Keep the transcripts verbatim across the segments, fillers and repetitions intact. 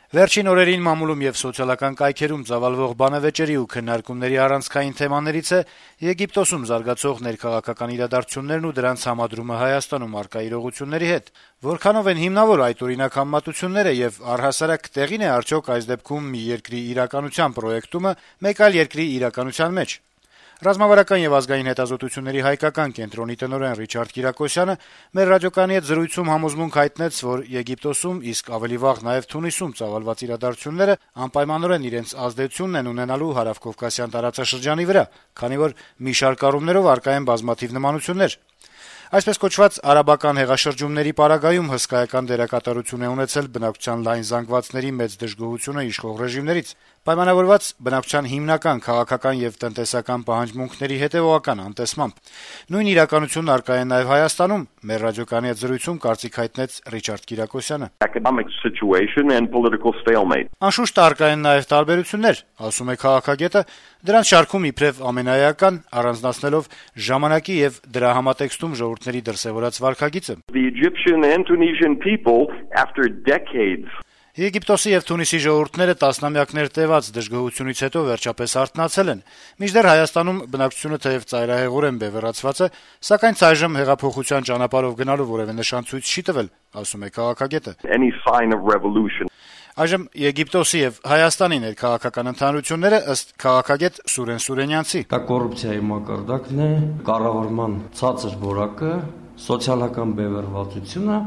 Վերջին օրերին մամուլում եւ սոցիալական կայքերում ծավալվող բանավեճերի ու քննարկումների առանցքային թեմաներից է Եգիպտոսում զարգացող ներքաղաքական իրադարձություններն ու դրանց համադրումը Հայաստանում առկա իրողությունների հետ։ Որքանով են հիմնավոր այդ օրինակ համեմատությունները եւ առհասարակ տեղին է արդյոք այս դեպքում մի երկրի իրականության պրոյեկտումը մեկ այլ երկրի իրականության մեջ։ Ռազմավարական եւ ազգային հետազոտությունների հայկական կենտրոնի տնօրեն Ռիչարդ Կիրակոսյանը մեր ռադիոկայանի հետ զրույցում համոզմունք հայտնեց, որ Եգիպտոսում, իսկ ավելի վաղ նաեւ Թունիսում ծավալված իրադարձությունները անպայմանորեն իրենց ազդեցությունն են ունենալու հարավկովկասյան տարածաշրջանի վրա, քանի որ մի շարք առումներով առկա են բազմաթիվ նմանություններ։ Այսպես կոչված արաբական հեղաշրջումների պարագայում հսկայական դերակատարություն է ունեցել բնակչության լայն զանգվածների մեծ դժգոհությունը իշխող ռեժիմներից, պայմանավորված բնակչության հիմնական քաղաքական եւ տնտեսական պահանջմունքների հետեւողական անտեսմամբ։ Նույն իրականությունն առկա է նաեւ Հայաստանում, մեր ռադիոկայանի հետ զրույցում կարծիք հայտնեց Ռիչարդ Կիրակոսյանը։ Անշուշտ առկա են նաեւ տարբերություններ, ասում է քաղաքագետը, դրանց շարքում իբրեւ ամենաէական առանձնացնելով ժամանակի եւ դրա համատեքստում ժողովուրդների դրսեւորած վարքագիծը։ Եգիպտոսի եւ Թունիսի ժողովուրդները տասնամյակներ տեւած դժգոհությունից հետո վերջապես արթնացել են, մինչդեռ Հայաստանում բնակչությունը թեեւ ծայրահեղորեն բևեռացված է, սակայն այժմ հեղափոխության ճանապարհով գնալու որեւէ նշան ցույց չի տվել, ասում է քաղաքագետը։ Այժմ Եգիպտոսի եւ Հայաստանի ներքաղաքական ընդհանրությունները ըստ քաղաքագետ Սուրեն Սուրենյանցի. Դա կոռուպցիայի մակարդակն է, կառավարման ցածր որակը, սոցիալական բևեռվածությունը։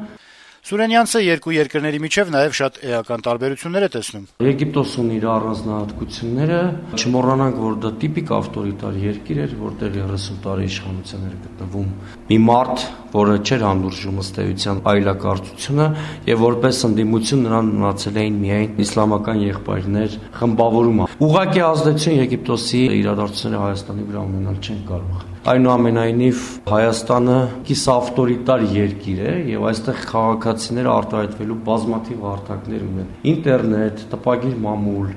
Սուրենյանցը երկու երկրների միջև նաեւ շատ էական տարբերություններ է տեսնում։ Եգիպտոսն իր առանձնահատկությունները, չմոռանանք, որ դա տիպիկ ավտորիտար երկիր էր, որտեղ երեսուն տարի իշխանության էր գտնվում մի մարդ, որը չէր հանդուրժում ըստ էության այլակարծությունը, եւ որպես ընդդիմություն նրան մնացել էին միայն իսլամական եղբայրներ խմբավորումը։ Ուղղակի ազդեցություն Եգիպտոսի իրադարձությունները Հայաստանի վրա ունենալ չեն կարող։ Այնուամենայնիվ Հայաստանը կիս ավտորիտար երկիր է եւ այստեղ քաղաքացիները արտահայտվելու բազմաթիվ հարթակներ ունեն՝ ինտերնետ, տպագիր մամուլ։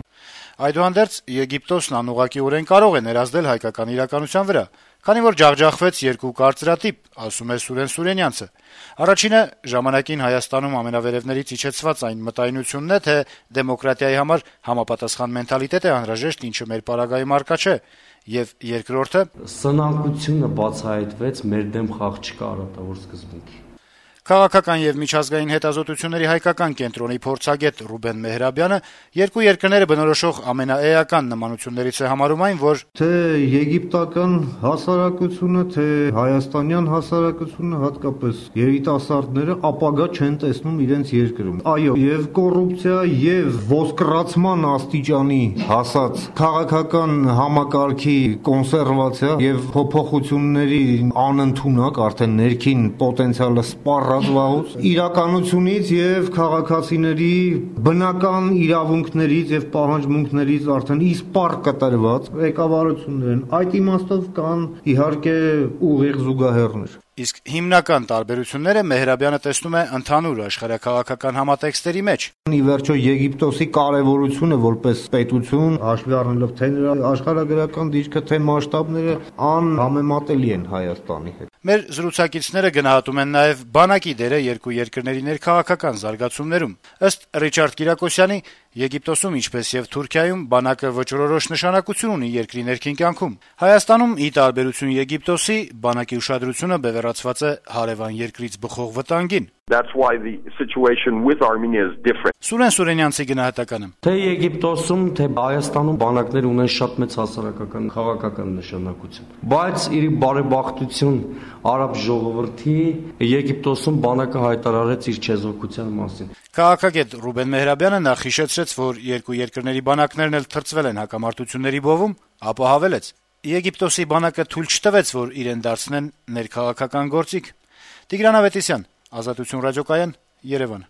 Այդուհանդերձ Եգիպտոսն անուղղակիորեն կարող է ներազդել հայկական իրականության վրա, քանի որ ջախջախվեց երկու կարծրատիպ, ասում է Սուրեն Սուրենյանցը։ Առաջինը ժամանակին Հայաստանում ամենավերևներից իջեցված այն մտայնությունն է, թե դեմոկրատիայի համար համապատասխան մենթալիտետ է անհրաժեշտ, ինչը մեր պարագայում առկա չէ, եւ երկրորդը սնանկությունը բացահայտվեց մեր դեմ խաղ չկա արատավոր սկզբունքի։ Քաղաքական եւ միջազգային հետազոտությունների հայկական կենտրոնի փորձագետ Ռուբեն Մեհրաբյանը երկու երկրները բնորոշող ամենաէական նմանություններից է համարում այն, որ թե եգիպտական հասարակությունը, թե հայաստանյան հասարակությունը, հատկապես երիտասարդները ապագա չեն տեսնում իրենց երկրում։ Այո, եւ կոռուպցիա եւ ոսկրացման աստիճանի հասած քաղաքական համակարգի կոնսերվացիա եւ փոփոխությունների անընդունակ արդեն ներքին պոտենցիալը սպառ իրականությունից եւ քաղաքացիների բնական իրավունքներից եւ պահանջմունքներից արդեն իսպառ կտրված ղեկավարություններ են։ Այդ իմաստով կան իհարկե ուղիղ զուգահեռներ։ Իսկ հիմնական տարբերությունները Մեհրաբյանը տեսնում է ընդհանուր աշխարհաքաղաքական համատեքստերի մեջ։ Ի վերջո Եգիպտոսի կարևորությունը որպես պետություն, հաշվի առնելով թե նրա աշխարհագրական դիրքը, թե մասշտաբները անհամեմատելի են Հայաստանի հետ։ Մեր զրուցակիցները գնահատում են նաեւ բանակի դերը երկու երկրների ներքաղաքական զարգացումներում։ Ըստ Ռիչարդ Կիրակոսյանի, Եգիպտոսում, ինչպես եւ Թուրքիայում, բանակը վճռորոշ նշանակություն ունի երկրի ներքին կյանքում։ Հայաստանում, ի տարբերություն Եգիպտոսի, բանակի ուշադրությունը բևեռացված է հարևան երկրից բխող վտանգին։ That's why the situation with Armenia is different. Սուրեն Սուրենյանցի գնահատականը. Թե Եգիպտոսում, թե Հայաստանում բանակներ ունեն շատ մեծ հասարակական քաղաքական նշանակություն։ Բայց իր բարեբախտություն արաբ ժողովրդի Եգիպտոսում բանակը հայտարարեց իր չեզոքության մասին։ Քաղաքագետ Ռուբեն Մեհրաբյանը նախ հիշեցրեց, որ երկու երկրների բանակներն էլ թրծվել են հակամարտությունների բովում, ապա հավելեց. Եգիպտոսի բանակը թույլ չտվեց, որ իրեն դարձնեն ներքաղաքական գործիք։ Տիգրան Ավետիսյան, Ազատություն ռադիոկայան, Երևան։